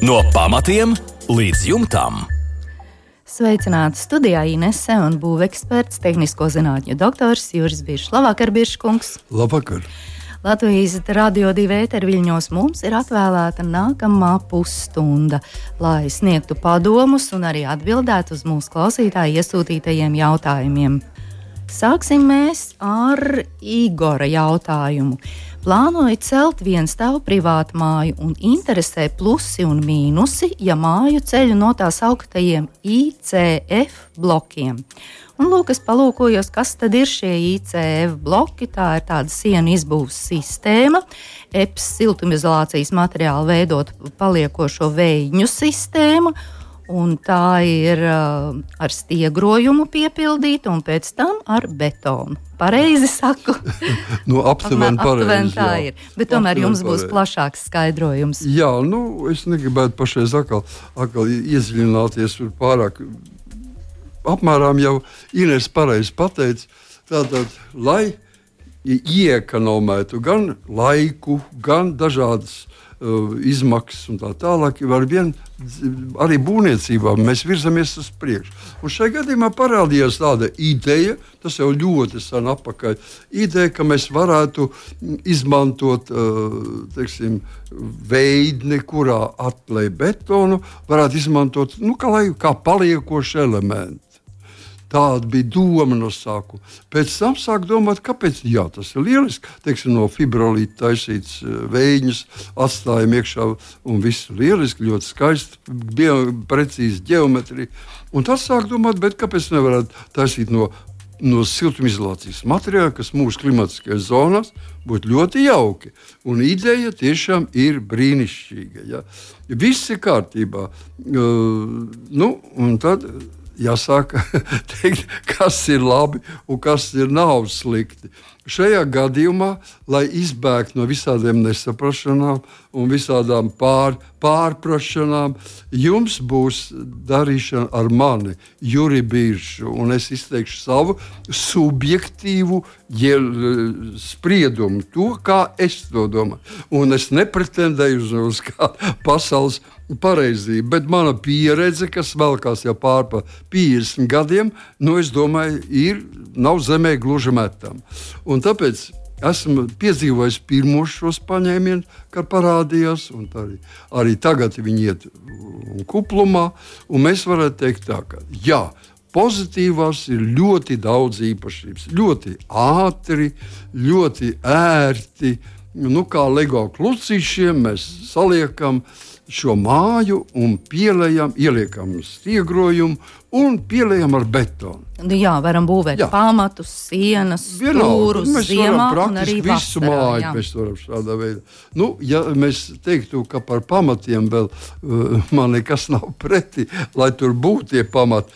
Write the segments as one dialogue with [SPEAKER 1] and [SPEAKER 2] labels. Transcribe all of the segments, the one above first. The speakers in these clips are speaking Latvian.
[SPEAKER 1] No pamatiem līdz jumtam.
[SPEAKER 2] Sveicināti studijā Inese un būveksperts, tehnisko zinātņu doktors Juris Biršs. Labvakar, Birškungs!
[SPEAKER 3] Labvakar!
[SPEAKER 2] Latvijas Radio 2 ēterviļņos mums ir atvēlēta nākamā pusstunda, lai sniegtu padomus un arī atbildētu uz mūsu klausītāju iesūtītajiem jautājumiem. Sāksim mēs ar Igora jautājumu. Plānoju celt vienstāvu privātu māju un interesē plusi un mīnusi, ja māju ceļu no tās augtajiem ICF blokiem. Un lūk, es palūkojos, kas tad ir šie ICF bloki. Tā ir tāda sienu izbūves sistēma, EPS siltumizolācijas materiālu veidot paliekošo vēju sistēmu. Un tā ir ar stiegrojumu piepildīta un pēc tam ar betonu. Pareizi saku?
[SPEAKER 3] Aptuveni pareizi.
[SPEAKER 2] Tā ir. Bet tomēr jums būs plašāks skaidrojums.
[SPEAKER 3] Jā, es negribētu pašreiz atkal iedziļināties pārāk. Apmēram jau Ines pareizi pateica, tātad, lai ieekonomētu gan laiku, gan dažādas izmaksas un tā tālāk, arī būvniecībā mēs virzamies uz priekšu. Un šajā gadījumā parādījās tāda ideja, tas jau ļoti sen atpakaļ, ideja, ka mēs varētu izmantot veidni, kurā atklāj betonu, varētu izmantot kā paliekošu elementu. Tāda bija doma no sākuma. Pēc tam sāk domāt, kāpēc tas ir lieliski. No fibrolīta taisīts vējiņus, atstājam iekšā un viss lieliski, ļoti skaisti, precīzi ģeometrija. Un tas sāk domāt, bet kāpēc nevarētu taisīt no siltumizolācijas materiāla, kas mūsu klimatiskajās zonās būtu ļoti jauki. Un ideja tiešām ir brīnišķīga. Ja? Viss ir kārtībā. Un tad jāsāk teikt, kas ir labi un kas nav slikti. Šajā gadījumā, lai izbēgtu no visādiem nesaprašanām un visādām pārprašanām, jums būs darīšana ar mani, Juri Biršu, un es izteikšu savu subjektīvu spriedumu, to, kā es to domāju. Un es nepretendēju uz kādu pasaules pareizību, bet mana pieredze, kas velkās jau pār 50 gadiem, es domāju, nav zemē gluži metama. Un tāpēc esmu piedzīvojis pirmos šos paņēmienus, kad parādījās, un arī tagad viņi iet kuplumā, un mēs varētu teikt tā, ka pozitīvās ir ļoti daudz īpašības, ļoti ātri, ļoti ērti, kā Lego klucīšiem mēs saliekam šo māju un ieliekam stiegrojumu un pieliekam ar betonu.
[SPEAKER 2] Varam būvēt pamatus, sienas, stūrus ziemā un arī vasarā.
[SPEAKER 3] Visu māju mēs varam šādā veidā. Ja mēs teiktu, ka par pamatiem vēl man nekas nav pretī, lai tur būtu tie pamati,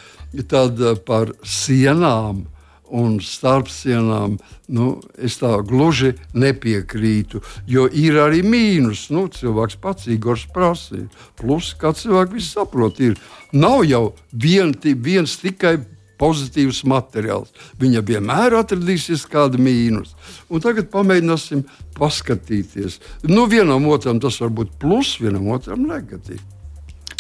[SPEAKER 3] tad par sienām un starp sienām, es tā gluži nepiekrītu, jo ir arī mīnus. Cilvēks pats Igors prasīja. Plus, kā cilvēki visi saprot, nav jau viens tikai pozitīvs materiāls. Viņa vienmēr atradīsies kāda mīnus. Un tagad pamēģināsim paskatīties. Vienam otram tas var būt plus, vienam otram negatīvi.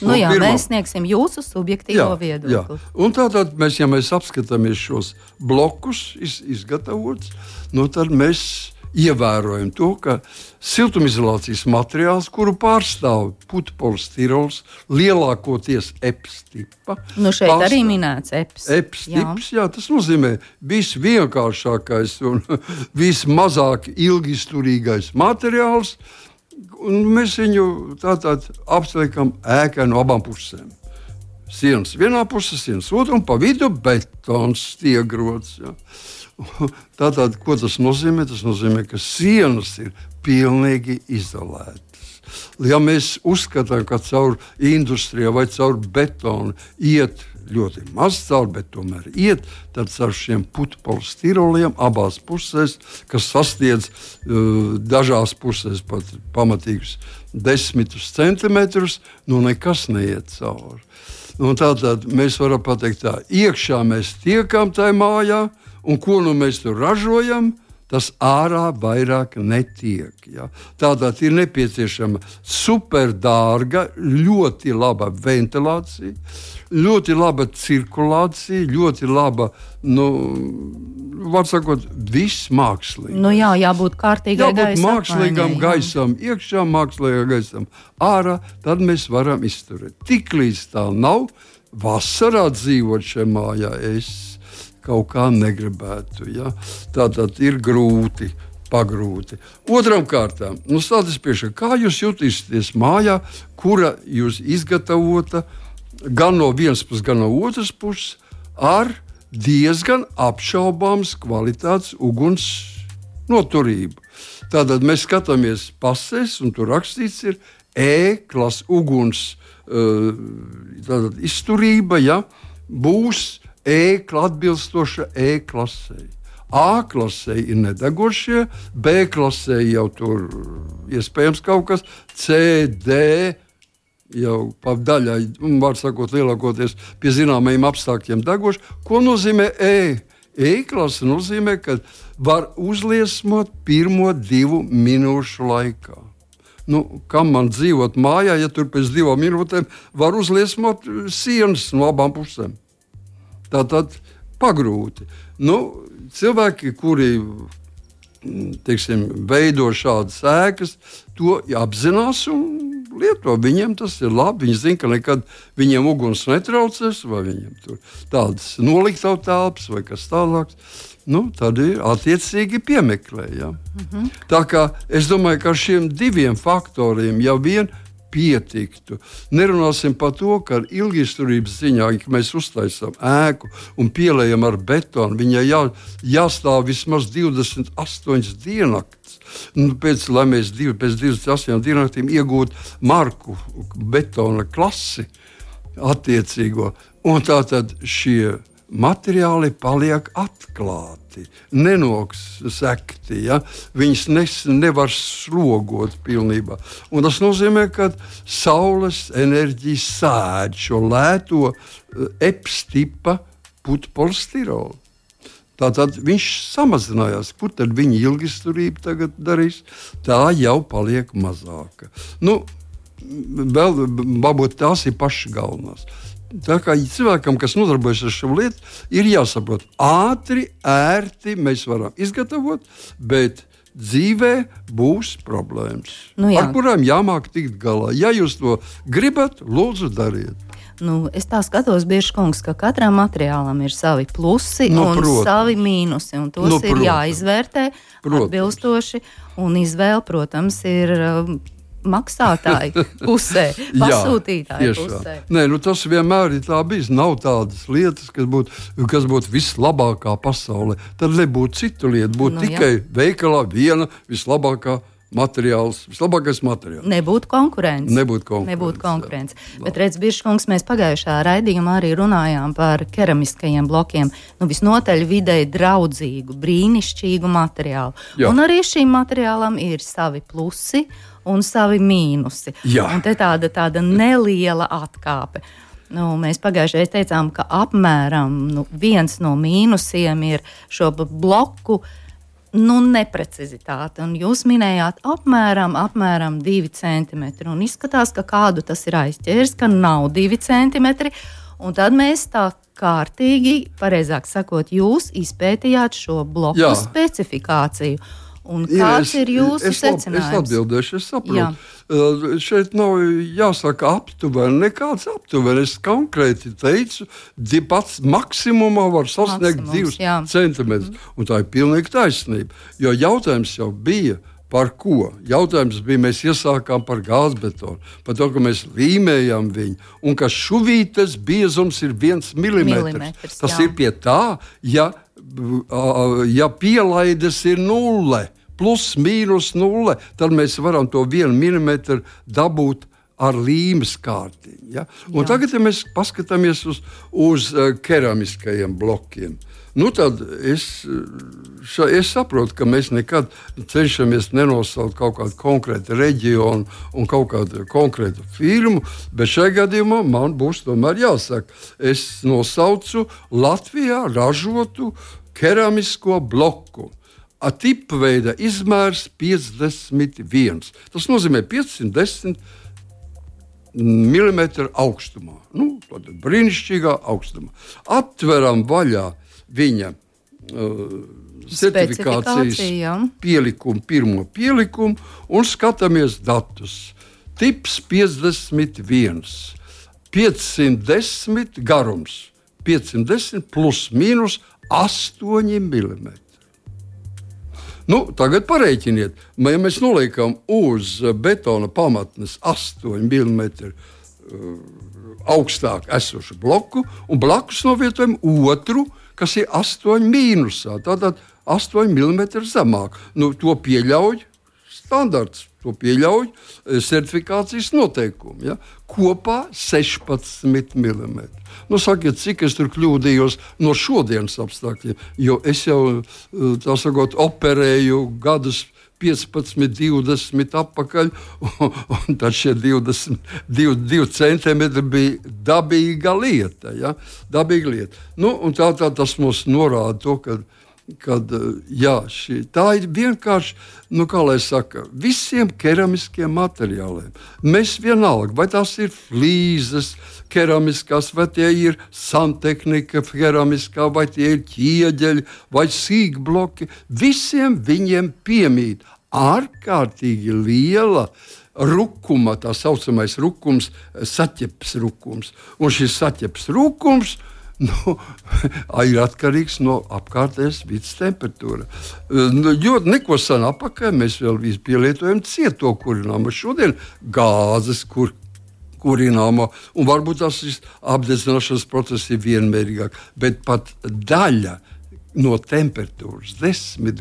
[SPEAKER 2] Mēs sniegsim jūsu subjektīvo viedokli.
[SPEAKER 3] Un tātad, ja mēs apskatāmies šos blokus izgatavots, tad mēs ievērojam to, ka siltumizolācijas materiāls, kuru pārstāv putekļs, lielākoties EPS tipa.
[SPEAKER 2] Šeit arī minēts EPS.
[SPEAKER 3] EPS tips, tas nozīmē visvienkāršākais un vismazāk ilgisturīgais materiāls. Un mēs viņu tātad apsveikam ēkai no abām pusēm. Sienas vienā pusē, sienas otrā, un pa vidu betons stiegrots. Tātad, ko tas nozīmē? Tas nozīmē, ka sienas ir pilnīgi izolētas. Ja mēs uzskatām, ka caur industrijā vai caur betonu iet ļoti maz cauri, bet tomēr iet, tad ar šiem putekļiem abās pusēs, kas sasniedz dažās pusēs pat pamatīgus 10 centimetrus, nekas neiet cauri. Tātad mēs varam pateikt tā, iekšā mēs tiekam tajā mājā, un ko mēs tur ražojam, tas ārā vairāk netiek. Ja? Tātad ir nepieciešama superdārga, ļoti laba ventilācija, ļoti laba cirkulācija, ļoti laba, var sakot, viss mākslīgi.
[SPEAKER 2] Jābūt kārtīgai gaisa apmaiņai.
[SPEAKER 3] Mākslīgam gaisam, iekšā mākslīgam gaisam, ārā, tad mēs varam izturēt. Tiklīdz tā nav, vasarā dzīvot šajā mājā, es kaut kā negribētu. Ja? Tātad ir grūti. Pagrūti. Otram kārtām, stāties priekšā, kā jūs jutīsieties mājā, kura jūs izgatavota gan no vienas puses, gan no otras puses, ar diezgan apšaubāmas kvalitātes uguns noturību. Tātad mēs skatāmies pasēs, un tur rakstīts ir E-klases uguns izturība, ja, būs atbilstoša E-klasei. A-klasē ir nedegošie, B-klasē jau tur iespējams kaut kas, C, D jau pa daļai, var sakot, lielākoties pie zināmajiem apstākļiem degoši. Ko nozīmē E? E-klase nozīmē, ka var uzliesmot pirmo 2 minūšu laikā. Kam man dzīvot mājā, ja tur pēc 2 minūtēm var uzliesmot sienas no abām pusēm? Tātad pagrūti. Cilvēki, kuri veido šādas ēkas, to apzinās un lieto. Viņiem tas ir labi. Viņi zina, ka nekad viņiem uguns netraucēs, vai viņiem tur tādas noliktavu telpas vai kas tālāks. Tad ir attiecīgi piemeklē. Ja? Tā kā es domāju, ka ar šiem 2 faktoriem jau vien pietiktu. Nerunāsim par to, ka ilgisturības ziņā, ja mēs uztaisām ēku un pielējam ar betonu, viņai jāstāv vismaz 28 diennakts. Lai mēs pēc 28 diennaktīm iegūtu marku betona klasi attiecīgo. Un tātad šie materiāli paliek atklāti, nenosekti. Ja? Viņus nevar slogot pilnībā. Un tas nozīmē, ka saules enerģija sēd šo lēto EPS-tipa putpolistirolu. Tātad viņš samazinājās. Kur tad viņa ilgisturība tagad darīs? Tā jau paliek mazāka. Vēl varbūt tās ir pašas galvenās. Tā kā cilvēkam, kas nodarbojas ar šo lietu, ir jāsaprot, ātri, ērti mēs varam izgatavot, bet dzīvē būs problēmas, ar kurām jāmāk tikt galā. Ja jūs to gribat, lūdzu dariet.
[SPEAKER 2] Es tā skatos, Biržkungs, ka katram materiālam ir savi plusi un savi mīnusi, un tos ir jāizvērtē atbilstoši, un izvēle, protams, ir maksātāju pusē, pasūtītāju pusē.
[SPEAKER 3] Nē, tas vienmēr ir tā bijis. Nav tādas lietas, kas būtu vislabākā pasaulē. Tad nebūtu citu lietu. Būtu tikai veikalā viena vislabākais materiāls.
[SPEAKER 2] Nebūtu konkurence. Bet redz, Biržkungs, mēs pagājušā raidījumā arī runājām par keramiskajiem blokiem. Visnotaļ videi draudzīgu, brīnišķīgu materiālu. Jā. Un arī šīm materiālam ir savi plusi un savi mīnusi. Jā. Un te tāda neliela atkāpe. Mēs pagājušajā teicām, ka apmēram viens no mīnusiem ir šo bloku neprecizitāte. Un jūs minējāt apmēram 2 centimetri. Un izskatās, ka kādu tas ir aizķēris, ka nav 2 centimetri. Un tad mēs tā kārtīgi, pareizāk sakot, jūs izpētījāt šo bloku specifikāciju. Un kāds ir jūsu secinājums?
[SPEAKER 3] Es atbildēšu, es saprotu. Šeit nav jāsaka aptuveni, nekāds aptuveni. Es konkrēti teicu, pats maksimumā var sasniegt 2 centimetrus. Un tā ir pilnīgi taisnība. Jo jautājums jau bija, par ko? Jautājums bija, mēs iesākām par gāzbetonu, par to, ka mēs līmējam viņu, un ka šuvītes biezums ir 1 milimetrs. Tas ir pie tā, ja pielaides ir 0, plus mīnus 0, tad mēs varam to 1 milimetru dabūt ar līmes kārtiņu. Ja? Un tagad, ja mēs paskatāmies uz keramiskajiem blokiem, tad es saprotu, ka mēs nekad cenšamies nenosaukt kaut kādu konkrētu reģionu un kaut kādu konkrētu firmu, bet šajā gadījumā man būs tomēr jāsaka, es nosaucu Latvijā ražotu keramisko bloku tipveida izmērs 51. Tas nozīmē 510 mm augstumā. Tāda brīnišķīgā augstumā. Atveram vaļā viņa certifikācijas pielikumu, pirmo pielikumu un skatāmies datus. Tips 51, 510 garums, 510 plus mīnus 8 mm. Tagad parēķiniet, ja mēs noliekam uz betona pamatnes 8 mm augstāk esošu bloku un blakus novietojam otru, kas ir 8 mīnusā, tātad 8 mm zemāk. To pieļauj standarts, to pieļauj certifikācijas noteikumi. Ja? Kopā 16 mm. Sakiet, cik es tur kļūdījos no šodienas apstākļiem, jo es jau, tā sakot, operēju gadus 15, 20 atpakaļ, un tad šie 2 centimetri bija dabīga lieta. Ja? Dabīga lieta. Un tā tas mums norāda to, tā ir vienkārši, kā lai saka, visiem keramiskiem materiāliem. Mēs vienalga, vai tās ir flīzes keramiskās, vai tie ir santehnika keramiskā, vai tie ir ķieģeļi, vai sīkbloki, visiem viņiem piemīt ārkārtīgi liela rukuma, tā saucamais rukums, saķeps rukums. Un šis saķeps rukums ir atkarīgs no apkārtējās vidas temperatūra. Jo neko sen apakaļ mēs vēl pielietojam cieto kurināmo. Šodien gāzes kurināmo, un varbūt tas apdedzināšanas process ir vienmērīgāk, bet pat daļa no temperatūras, 10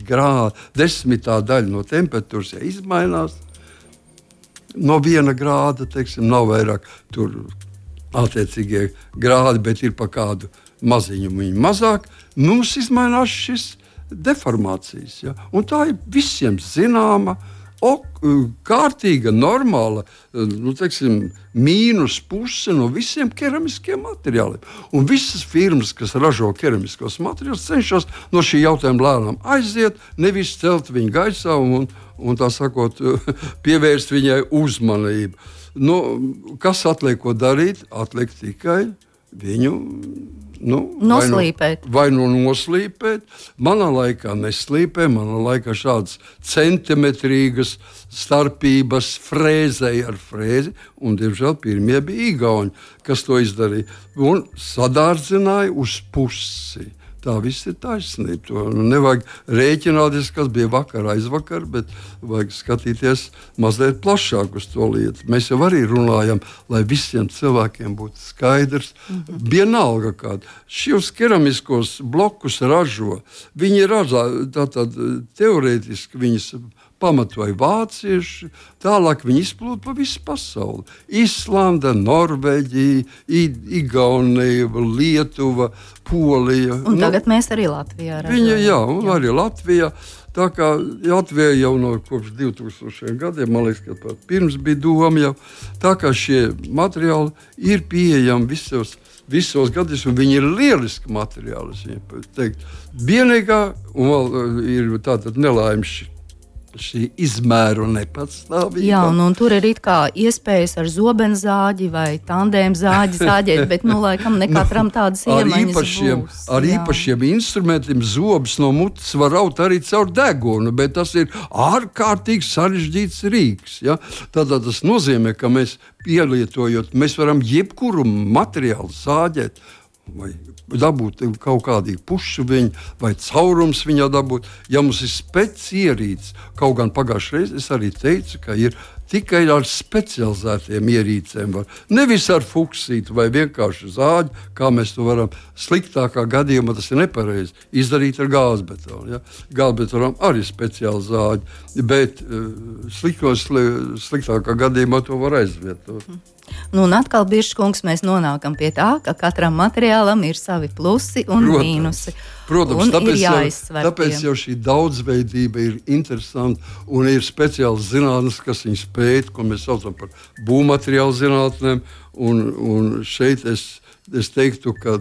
[SPEAKER 3] daļa no temperatūras, ja izmainās, no 1 grāda, teiksim, nav vairāk tur attiecīgie grādi, bet ir pa kādu maziņu viņa mazāk, mums izmainās šis deformācijas. Ja? Un tā ir visiem zināma, kārtīga, normāla, teiksim, mīnus puse no visiem keramiskiem materiāliem. Un visas firmas, kas ražo keramiskos materiālus, cenšas no šī jautājuma lēnām aiziet, nevis celt viņu gaisā un tā sakot, pievērst viņai uzmanību. Kas atliek ko darīt? Atliek tikai viņu
[SPEAKER 2] noslīpēt.
[SPEAKER 3] Vai noslīpēt. Manā laikā neslīpē, manā laikā šādas centimetrīgas starpības frēzēja ar frēzi, un, diemžēl, pirmie bija igauņi, kas to izdarīja, un sadārdzināja uz pusi. Tā viss ir taisnība. To nevajag rēķināties, kas bija vakar, aizvakar, bet vajag skatīties mazliet plašāk uz to lietu. Mēs jau arī runājam, lai visiem cilvēkiem būtu skaidrs. Vienalga kāda. Šos keramiskos blokus ražo. Viņi ražo tātad teorētiski viņas pamatoja vācieši, tālāk viņi izplūda pa visu pasauli. Islanda, Norvēģija, Igaunija, Lietuva, Polija.
[SPEAKER 2] Un tagad mēs arī Latvijā redzam.
[SPEAKER 3] Un arī Latvijā. Tā kā Latvijā jau no kopš 2000 gadiem, man liekas, ka pat pirms bija doma jau, tā kā šie materiāli ir pieejami visos gadījumos, un viņi ir lieliski materiāli. Vienīgā un vēl ir tātad nelaimes šī izmēru nepatstāvība.
[SPEAKER 2] Jā, un tur ir it kā iespējas ar zobenzāģi vai tandēm zāģi zāģēt, bet, laikam, ne katram tādas iemaņas būs.
[SPEAKER 3] Ar īpašiem instrumentiem zobus no mutes var raut arī caur degunu, bet tas ir ārkārtīgi sarežģīts rīks. Ja? Tātad tas nozīmē, ka mēs pielietojot, mēs varam jebkuru materiālu zāģēt, vai dabūt kaut kādīgu pušu viņu, vai caurums viņā dabūt. Ja mums ir ierīces, kaut gan pagājušajā reizē es arī teicu, ka ir tikai ar specializētiem ierīcēm. Nevis ar fuksītu vai vienkārši zāģi, kā mēs to varam sliktākā gadījumā, tas ir nepareizi, izdarīt ar gāzbetonu. Ja? Gāzbetonam arī speciāli zāģi, bet sliktākā gadījumā to var aizvietot.
[SPEAKER 2] Un atkal, Biržkungs, mēs nonākam pie tā, ka katram materiālam ir savi plusi un mīnusi.
[SPEAKER 3] Protams, tāpēc jau šī daudzveidība ir interesanta un ir speciāls zinātnes, kas viņus pēta, ko mēs saucam par būvmateriālu zinātnēm. Un šeit es teiktu, ka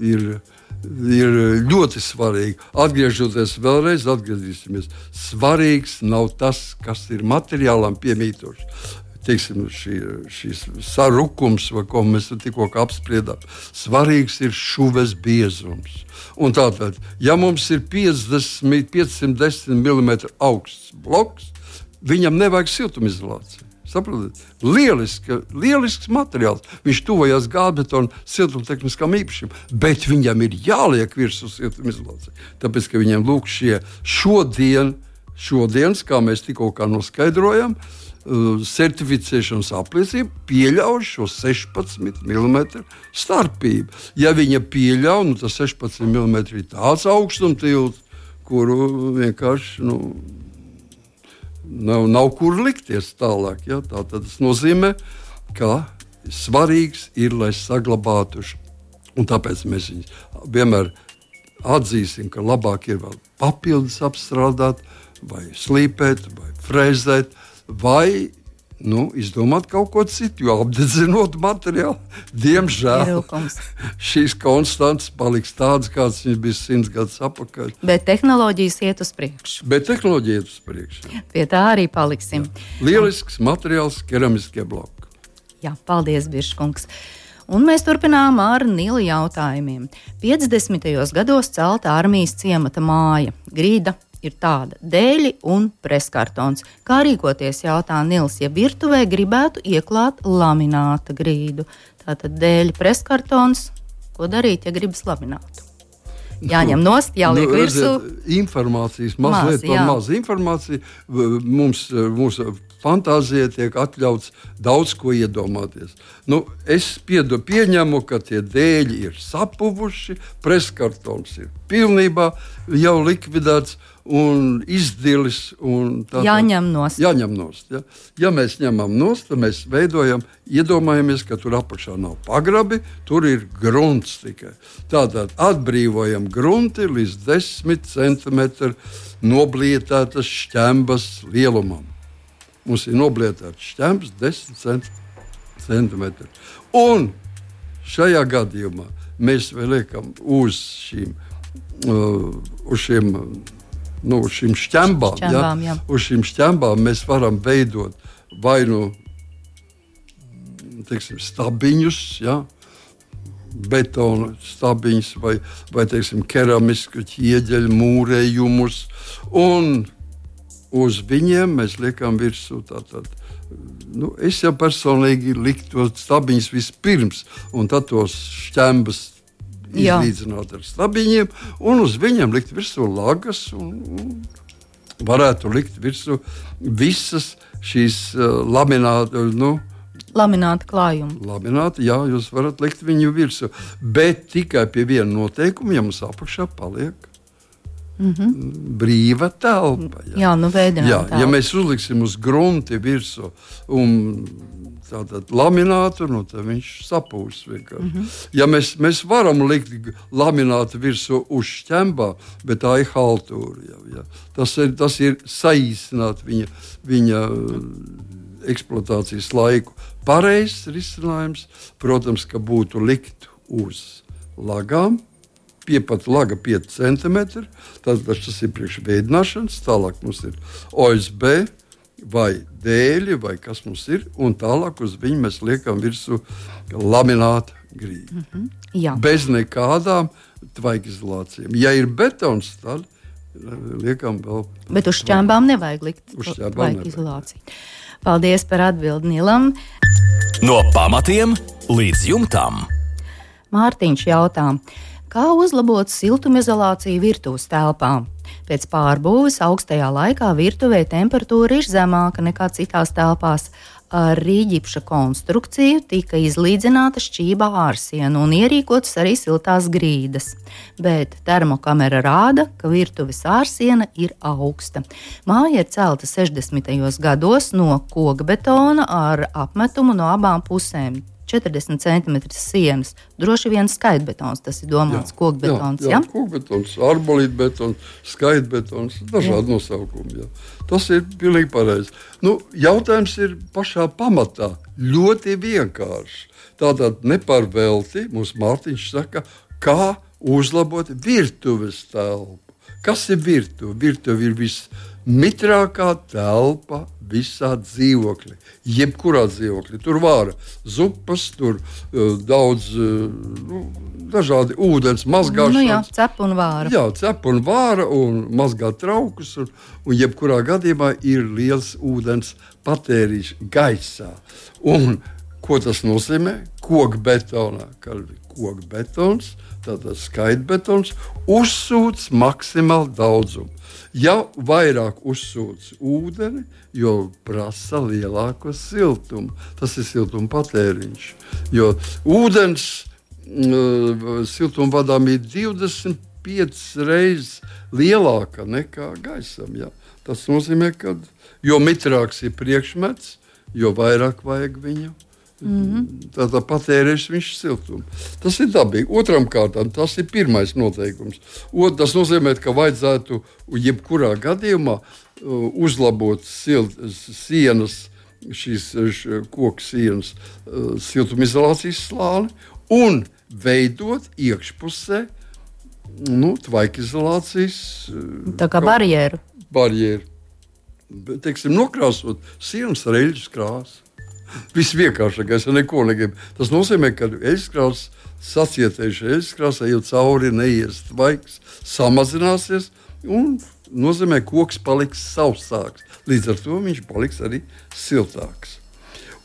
[SPEAKER 3] ir ir ļoti svarīgi. Atgriezīsimies. Svarīgs nav tas, kas ir materiālam piemītošs. Teiksim, šīs sarukums, ko mēs tikko apspriedām. Svarīgs ir šuves biezums. Un tātad, ja mums ir 510 mm augsts bloks, viņam nevajag siltumizolāciju. Saprotiet? Lielisks materiāls. Viņš tuvojas gāzbetona siltumtehniskām īpašībām, bet viņam ir jāliek virsū siltumizolācija. Tāpēc, ka viņam lūk šodienas, kā mēs tikko noskaidrojam, certificēšanas apliecība pieļauj šo 16 mm starpību. Ja viņa pieļauj, tas 16 mm ir tāds augstumtilts, kuru vienkārši nav kur likties tālāk. Ja? Tas nozīmē, ka svarīgs ir, lai saglabātu. Un tāpēc mēs vienmēr atzīsim, ka labāk ir vēl papildus apstrādāt, vai slīpēt, vai frēzēt, vai izdomāt kaut ko citu, jo apdedzinot materiālu, diemžēl šīs konstantas paliks tādas, kādas viņas bija 100 gadus atpakaļ.
[SPEAKER 2] Bet tehnoloģijas iet uz priekšu. Pie tā arī paliksim.
[SPEAKER 3] Jā. Lielisks materiāls, keramiskie bloki.
[SPEAKER 2] Jā, paldies, Biržkungs. Un mēs turpinām ar Nila jautājumiem. 50. gados celta armijas ciemata māja, grīda. Ir tāda dēļi un preskartons. Kā rīkoties, jautā Nils, ja virtuvē gribētu ieklāt lamināta grīdu? Tātad dēļi, preskartons, ko darīt, ja gribas laminātu? Jāņem nost, jāliek virsū.
[SPEAKER 3] Informācijas, mazliet par maz informāciju. Mūsu fantāzija tiek atļauts daudz ko iedomāties. Es pieņemu, ka tie dēļi ir sapuvuši, preskartons ir pilnībā jau likvidēts un izdilis.
[SPEAKER 2] Jāņem nost.
[SPEAKER 3] Ja? Ja mēs ņemam nost, tad mēs iedomājamies, ka tur apakšā nav pagrabi, tur ir grunts tikai. Tātad atbrīvojam grunti līdz 10 cm noblietētas šķembas lielumam. Mums ir noblietēts šķembs 10 cm. Un šajā gadījumā mēs vēl liekam uz šīm šķembām. Uz šīm šķembām mēs varam veidot vai stabiņus, betona stabiņus vai keramisku ķieģeļu mūrējumus. Un uz viņiem mēs liekam virsū es jau personīgi liktu tos stabiņus vispirms, un tad tos šķembas izlīdzināt ar stabiņiem, un uz viņiem likt virsū lagas, un varētu likt virsū visas šīs
[SPEAKER 2] lamināta klājuma.
[SPEAKER 3] Lamināti, jā, jūs varat likt viņu virsū, bet tikai pie viena noteikuma, ja mums apakšā paliek brīva telpa.
[SPEAKER 2] Veidināt telpu.
[SPEAKER 3] Ja mēs uzliksim uz grunti virsū un tātad laminātu, tad viņš sapūs vienkārši. Ja mēs varam likt laminātu virsū uz šķembā, bet tā ir haltūra. Ja. Tas ir saīsināt viņa eksploatācijas laiku. Pareizs risinājums, protams, ka būtu likt uz lagām, piepat laga 5 cm, tas ir priekš veidināšanas, tālāk mums ir OSB vai dēļi, vai kas mums ir, un tālāk uz viņu mēs liekam virsū laminātu grīdu. Bez nekādām tvaikizolācijām. Ja ir betons, tad liekam vēl.
[SPEAKER 2] Bet uz šķembām nevajag likt tvaikizolāciju. Paldies par atbildi Nilam.
[SPEAKER 1] No pamatiem līdz jumtam.
[SPEAKER 2] Mārtiņš jautā, kā uzlabot siltumizolāciju virtuves telpām? Pēc pārbūves augstajā laikā virtuvē temperatūra ir zemāka nekā citās telpās. Ar rīģipša konstrukciju tika izlīdzināta šķība ārsiena un ierīkotas arī siltās grīdas. Bet termokamera rāda, ka virtuves ārsiena ir augsta. Māja ir celta 60. gados no kokbetona ar apmetumu no abām pusēm. 40 cm sienas, droši vien skaitbetons, tas ir domāts kokbetons.
[SPEAKER 3] Jā, kokbetons, arbolītbetons, skaitbetons, dažādi nosaukumi. Jā. Tas ir pilnīgi pareizi. Jautājums ir pašā pamatā ļoti vienkārši. Tātad nepārvelti mums Mārtiņš saka, kā uzlabot virtuves telpu. Kas ir virtuve? Virtuve ir vismitrākā telpa visā dzīvoklī. Jebkurā dzīvoklī. Tur vāra zupas, tur daudz dažādi ūdens mazgāšanas.
[SPEAKER 2] Cep un vāra.
[SPEAKER 3] Jā, cep un vāra un mazgā traukus. Un jebkurā gadījumā ir liels ūdens patēriņš gaisā. Un ko tas nozīmē? Kokbetonā, kad ir kokbetons, tātad skaitbetons, uzsūc maksimāli daudzumu. Ja vairāk uzsūc ūdeni, jo prasa lielāko siltumu. Tas ir siltuma patēriņš. Jo ūdens siltumvadām ir 25 reizes lielāka nekā gaisam. Ja? Tas nozīmē, ka jo mitrāks ir priekšmets, jo vairāk vajag viņu. Tātad patērēs viņš siltumu. Tas ir dabīgi. Otram kārtām tas ir pirmais noteikums. Tas nozīmē, ka vajadzētu jebkurā gadījumā uzlabot sienas, šīs koku sienas siltumizolācijas slāni un veidot iekšpusē tvaikizolācijas
[SPEAKER 2] tā kā barjeru.
[SPEAKER 3] Teiksim, nokrāsot sienas ar eļļas krāsu. Visvienkāršākais, ja neko negribu. Tas nozīmē, ka eļļaskrāsa, sacietējuša eļļaskrāsa, jau cauri neies tvaiks, samazināsies un nozīmē, ka koks paliks sausāks. Līdz ar to viņš paliks arī siltāks.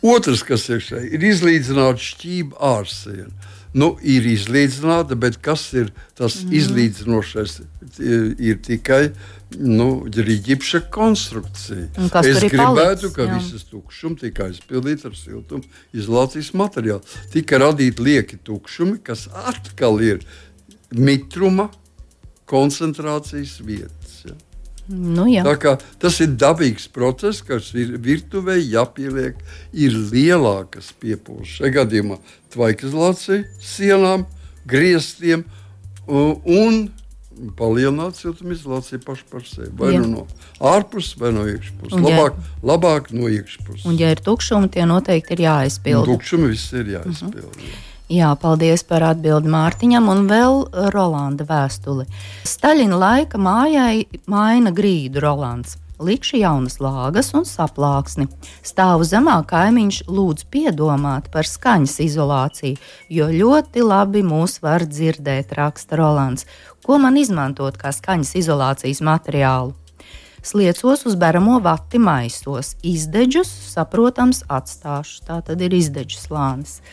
[SPEAKER 3] Otrs, kas ir šeit, ir izlīdzināta šķība ārsiena. Ir izlīdzināta, bet kas ir tas izlīdzinošais? Ir tikai ģipša konstrukcija. Es gribētu, ka visas tukšumi tika aizpildīti ar siltumu izolācijas materiālu. Tika radīti lieki tukšumi, kas atkal ir mitruma koncentrācijas vietas. Ja? Tā kā tas ir dabīgs process, kas ir virtuvē jāpieliek, ir lielākas piepūles. Šajā gadījumā tvaikizolācija sienām, griestiem un palielināt siltumizolāciju pašu par sevi. Vai no ārpuses, vai no iekšpuses. Labāk no iekšpuses.
[SPEAKER 2] Un ja ir tukšumi, tie noteikti ir jāaizpilda.
[SPEAKER 3] Tukšumi viss ir jāaizpilda.
[SPEAKER 2] Jā, paldies par atbildi Mārtiņam un vēl Rolanda vēstuli. Staļina laika mājai maina grīdu Rolands. Likšu jaunas lāgas un saplāksni. Stāvu zemā kaimiņš lūdz piedomāt par skaņas izolāciju, jo ļoti labi mūs var dzirdēt, raksta Rolands. Ko man izmantot kā skaņas izolācijas materiālu? Sliecos uz beramo vati maisos. Izdeģus, saprotams, atstāšu. Tā tad ir izdeģu slānis.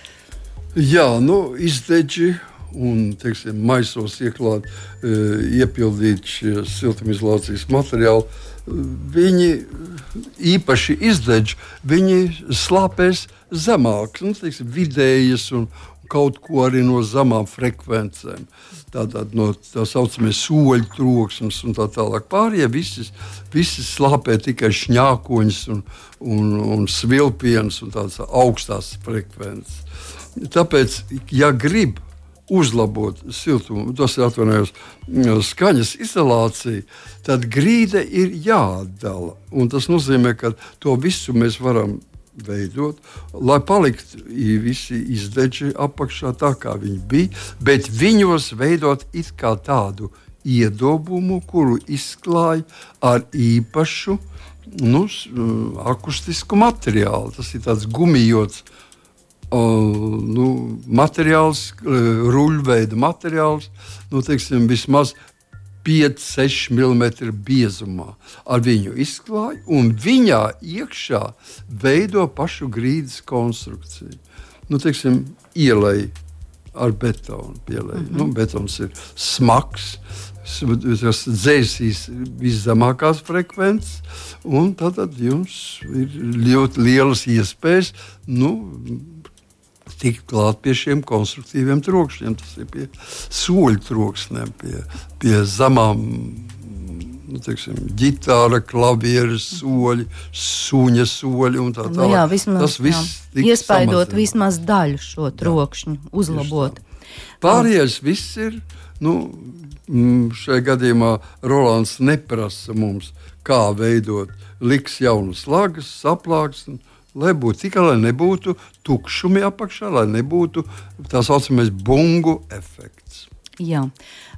[SPEAKER 3] Jā, izdeģi un, teiksim, maisos iepildīt šie siltumizolācijas materiāli. Viņi īpaši izdeģi, viņi slāpēs zemāk, teiksim, vidējas un kaut ko arī no zemām frekvencēm. Tātad no tā saucamie soļu troksmes un tā tālāk. Pārējie visi slāpē tikai šņākoņus un svilpienus un tādas augstās frekvences. Tāpēc, ja grib uzlabot siltumu, tas ir skaņas izolācija, tad grīde ir jāatdala. Un tas nozīmē, ka to visu mēs varam veidot, lai paliktu visi izdeģi apakšā tā, kā viņi bija, bet viņos veidot it kā tādu iedobumu, kuru izklāj ar īpašu akustisku materiālu. Tas ir tāds gumijots materiāls, ruļveida materiāls, teiksim, vismaz 5-6 mm biezumā. Ar viņu izklāj un viņā iekšā veido pašu grīdas konstrukciju. Teiksim, ielej ar betonu. Betons ir smags, tas dzēsīs viszemākās frekvences, un tad jums ir ļoti lielas iespējas, tikt klāt pie šiem konstruktīviem trokšņiem. Tas ir pie soļu troksnēm, pie zemām, ģitāra, klavieres soļi, suņa soļi un tā tālāk.
[SPEAKER 2] Jā, vismaz, iespaidot vismaz daļu šo trokšņu, uzlabot.
[SPEAKER 3] Pārējais viss ir, šajā gadījumā Rolands neprasa mums, kā veidot, liks jaunas lagas, saplāksni, lai nebūtu tukšumi apakšā, lai nebūtu tā saucamais bungu efekts.
[SPEAKER 2] Jā.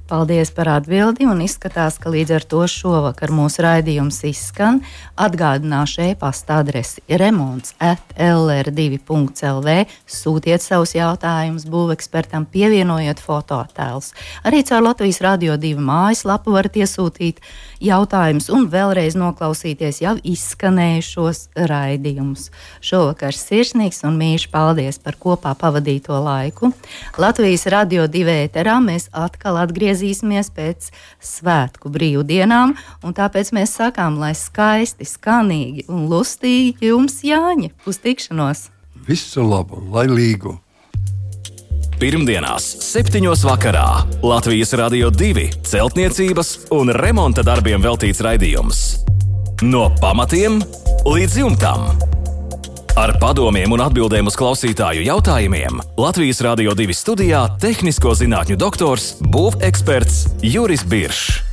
[SPEAKER 2] Paldies par atbildi, un izskatās, ka līdz ar to šovakar mūsu raidījums izskan. Atgādināšu e-pasta adresi remonts@lr2.lv. Sūtiet savus jautājumus būvekspertam, pievienojiet fotoattēlus. Arī caur Latvijas Radio 2 mājaslapu varat iesūtīt jautājumus un vēlreiz noklausīties jau izskanējušos raidījumus. Šovakar sirsnīgs un mīļš paldies par kopā pavadīto laiku. Latvijas Radio 2 ēterā mēs atkal atgriezīsimies pēc svētku brīvdienām, un tāpēc mēs sakām, lai skaisti, skanīgi un lustīgi jums Jāņi. Uz tikšanos!
[SPEAKER 3] Visu labu, laimīgu!
[SPEAKER 1] Pirmdienās, 7:00 vakarā Latvijas Radio 2 celtniecības un remonta darbiem veltīts raidījums. No pamatiem līdz jumtam. Ar padomiem un atbildēm uz klausītāju jautājumiem Latvijas Radio 2 studijā tehnisko zinātņu doktors, būveksperts Juris Biršs.